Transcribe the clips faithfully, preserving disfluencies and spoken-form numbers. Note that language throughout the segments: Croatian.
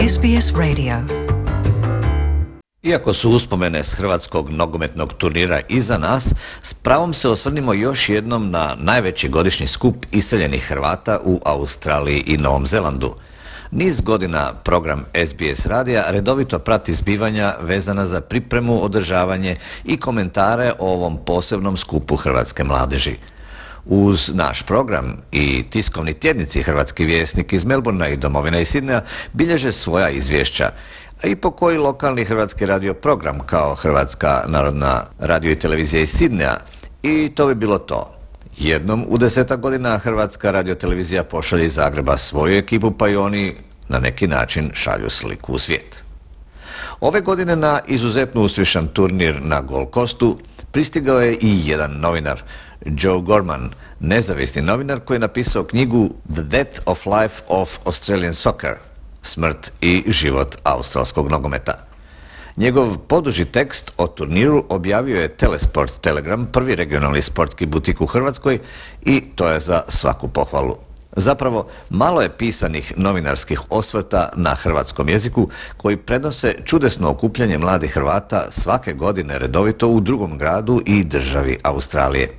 S B S Radio. Iako su uspomene s hrvatskog nogometnog turnira iza nas, s pravom se osvrnimo još jednom na najveći godišnji skup iseljenih Hrvata u Australiji i Novom Zelandu. Niz godina program S B S radija redovito prati zbivanja vezana za pripremu, održavanje i komentare o ovom posebnom skupu hrvatske mladeži. Uz naš program i tiskovni tjednici Hrvatski vjesnik iz Melbournea i Domovina iz Sidneja bilježe svoja izvješća, a i po koji lokalni hrvatski radio program kao Hrvatska narodna radio i televizija iz Sidneja. I to bi bilo to. Jednom u desetak godina Hrvatska radiotelevizija pošalje iz Zagreba svoju ekipu, pa i oni na neki način šalju sliku u svijet. Ove godine na izuzetno uspješan turnir na Gold Coastu pristigao je i jedan novinar, Joe Gorman, nezavisni novinar koji je napisao knjigu The Death of Life of Australian Soccer, smrt i život australskog nogometa. Njegov poduži tekst o turniru objavio je Telesport Telegram, prvi regionalni sportski butik u Hrvatskoj, i to je za svaku pohvalu. Zapravo, malo je pisanih novinarskih osvrta na hrvatskom jeziku koji prenose čudesno okupljanje mladih Hrvata svake godine redovito u drugom gradu i državi Australije.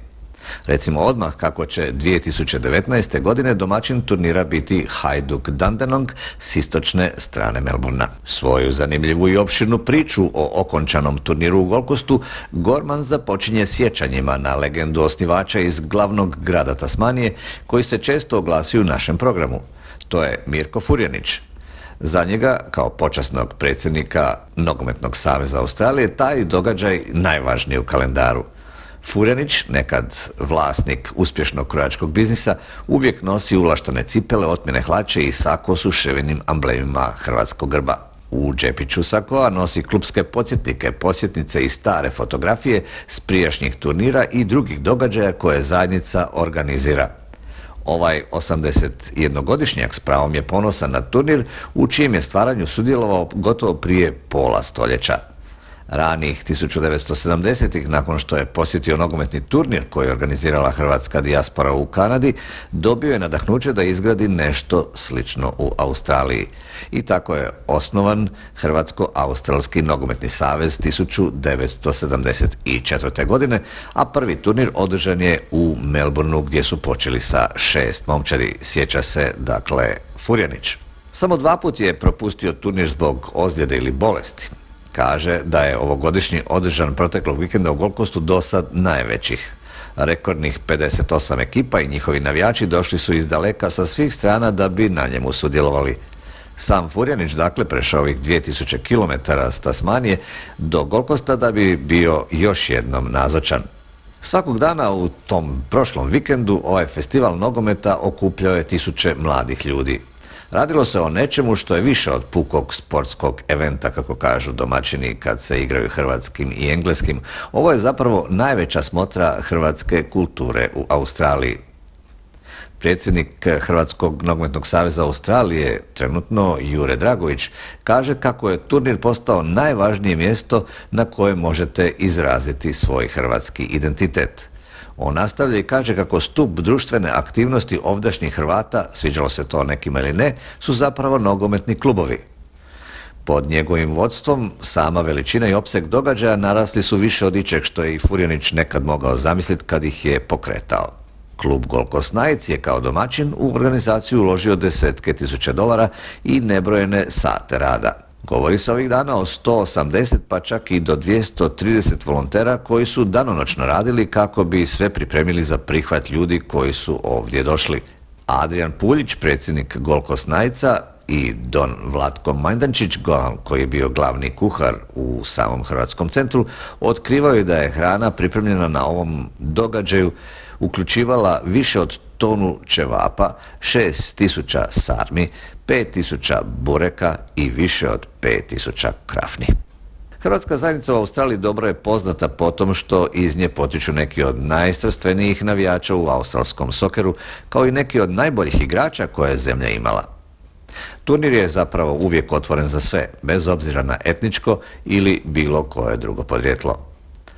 Recimo odmah kako će dvije tisuće devetnaeste. godine domaćin turnira biti Hajduk Dandenong s istočne strane Melbournea. Svoju zanimljivu i opširnu priču o okončanom turniru u Gold Coastu Gorman započinje sjećanjima na legendu osnivača iz glavnog grada Tasmanije koji se često oglasi u našem programu. To je Mirko Furjanić. Za njega, kao počasnog predsjednika Nogometnog saveza Australije, taj događaj najvažniji u kalendaru. Furjanić, nekad vlasnik uspješnog krojačkog biznisa, uvijek nosi ulaštane cipele, otmjene hlače i sako s uševenim amblemima hrvatskog grba. U džepiću sakoa nosi klupske podsjetnike, posjetnice i stare fotografije s prijašnjih turnira i drugih događaja koje zajednica organizira. Ovaj osamdesetjednogodišnjak s pravom je ponosan na turnir u čijem je stvaranju sudjelovao gotovo prije pola stoljeća. Ranih tisuću devetsto sedamdesetih. nakon što je posjetio nogometni turnir koji je organizirala hrvatska dijaspora u Kanadi, dobio je nadahnuće da izgradi nešto slično u Australiji. I tako je osnovan Hrvatsko-Australski nogometni savez tisuću devetsto sedamdeset četvrte. godine, a prvi turnir održan je u Melbourneu gdje su počeli sa šest momčadi, sjeća se dakle Furjanić. Samo dva put je propustio turnir zbog ozljede ili bolesti. Kaže da je ovogodišnji održan proteklog vikenda u Gold Coastu dosad najvećih. Rekordnih pedeset osam ekipa i njihovi navijači došli su iz daleka sa svih strana da bi na njemu sudjelovali. Sam Furjanić dakle prešao ovih dvije tisuće kilometara s Tasmanije do Gold Coasta da bi bio još jednom nazočan. Svakog dana u tom prošlom vikendu ovaj festival nogometa okupljao je tisuće mladih ljudi. Radilo se o nečemu što je više od pukog sportskog eventa, kako kažu domaćini kad se igraju hrvatskim i engleskim. Ovo je zapravo najveća smotra hrvatske kulture u Australiji. Predsjednik Hrvatskog nogometnog saveza Australije, trenutno Jure Dragović, kaže kako je turnir postao najvažnije mjesto na koje možete izraziti svoj hrvatski identitet. On nastavlja i kaže kako stup društvene aktivnosti ovdašnjih Hrvata, sviđalo se to nekima ili ne, su zapravo nogometni klubovi. Pod njegovim vodstvom sama veličina i opseg događaja narasli su više od ičeg što je i Furjanić nekad mogao zamisliti kad ih je pokretao. Klub Gold Coast Knights je kao domaćin u organizaciju uložio desetke tisuća dolara i nebrojene sate rada. Govori se ovih dana o sto osamdeset pa čak i do dvjesto trideset volontera koji su danonoćno radili kako bi sve pripremili za prihvat ljudi koji su ovdje došli. Adrian Puljić, predsjednik Gold Coast Knightsa, i Don Vlatko Majdančić, koji je bio glavni kuhar u samom hrvatskom centru, otkrivaju da je hrana pripremljena na ovom događaju uključivala više od tonu ćevapa, šest tisuća sarmi, pet tisuća bureka i više od pet tisuća krafni. Hrvatska zajednica u Australiji dobro je poznata po tom što iz nje potiču neki od najstrastvenijih navijača u australskom sokeru, kao i neki od najboljih igrača koje je zemlja imala. Turnir je zapravo uvijek otvoren za sve, bez obzira na etničko ili bilo koje drugo podrijetlo.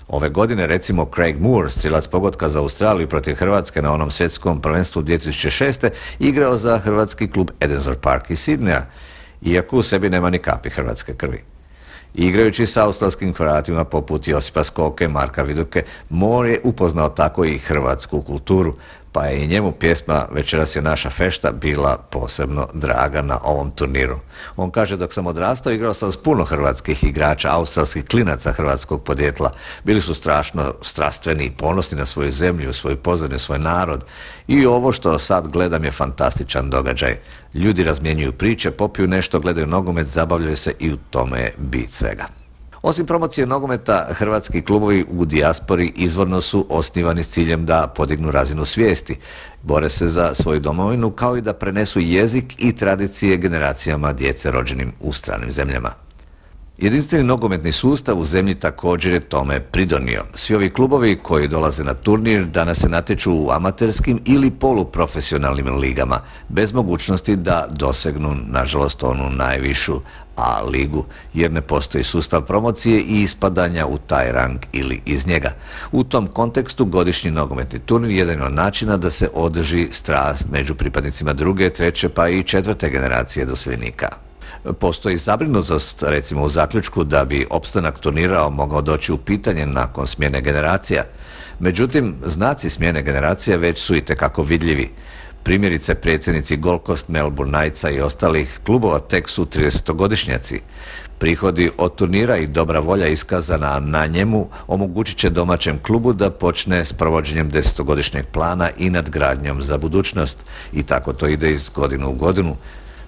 Ove godine recimo Craig Moore, strilac pogotka za Australiju protiv Hrvatske na onom svjetskom prvenstvu dvije tisuće šeste. igrao za hrvatski klub Edensor Park iz Sidneja iako u sebi nema ni kapi hrvatske krvi. Igrajući s australskim Hrvatima poput Josipa Skoke, Marka Viduke, Moore je upoznao tako i hrvatsku kulturu, pa je i njemu pjesma Večeras je naša fešta bila posebno draga na ovom turniru. On kaže, dok sam odrastao igrao sam s puno hrvatskih igrača, australskih klinaca hrvatskog podjetla. Bili su strašno strastveni i ponosni na svoju zemlju, svoju pozadinu, svoj narod. I ovo što sad gledam je fantastičan događaj. Ljudi razmjenjuju priče, popiju nešto, gledaju nogomet, zabavljaju se i u tome je bit svega. Osim promocije nogometa, hrvatski klubovi u dijaspori izvorno su osnivani s ciljem da podignu razinu svijesti, bore se za svoju domovinu kao i da prenesu jezik i tradicije generacijama djece rođenim u stranim zemljama. Jedinstveni nogometni sustav u zemlji također je tome pridonio. Svi ovi klubovi koji dolaze na turnir danas se natječu u amaterskim ili poluprofesionalnim ligama, bez mogućnosti da dosegnu, nažalost, onu najvišu A ligu, jer ne postoji sustav promocije i ispadanja u taj rang ili iz njega. U tom kontekstu godišnji nogometni turnir je jedan od načina da se održi strast među pripadnicima druge, treće pa i četvrte generacije doseljenika. Postoji zabrinutost, recimo u zaključku, da bi opstanak turnira mogao doći u pitanje nakon smjene generacija. Međutim, znaci smjene generacija već su itekako vidljivi. Primjerice, predsjednici Gold Coast, Melbourne Knightsa i ostalih klubova tek su tridesetogodišnjaci. Prihodi od turnira i dobra volja iskazana na njemu omogućit će domaćem klubu da počne s provođenjem desetogodišnjeg plana i nadgradnjom za budućnost. I tako to ide iz godine u godinu.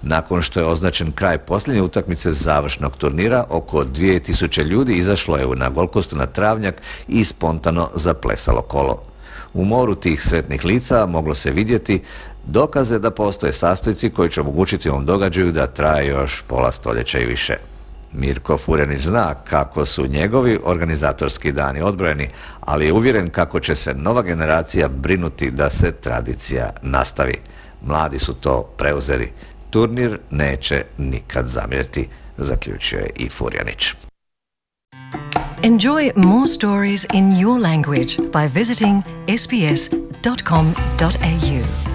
Nakon što je označen kraj posljednje utakmice završnog turnira, oko dvije tisuće ljudi izašlo je na Gold Coastu na travnjak i spontano zaplesalo kolo. U moru tih sretnih lica moglo se vidjeti dokaze da postoje sastojci koji će omogućiti ovom događaju da traje još pola stoljeća i više. Mirko Furjanić zna kako su njegovi organizatorski dani odbrojeni, ali je uvjeren kako će se nova generacija brinuti da se tradicija nastavi. Mladi su to preuzeli. Turnir neće nikad zamjeriti, zaključio je i Furjanić. Enjoy more stories in your language by visiting s b s dot com dot a u.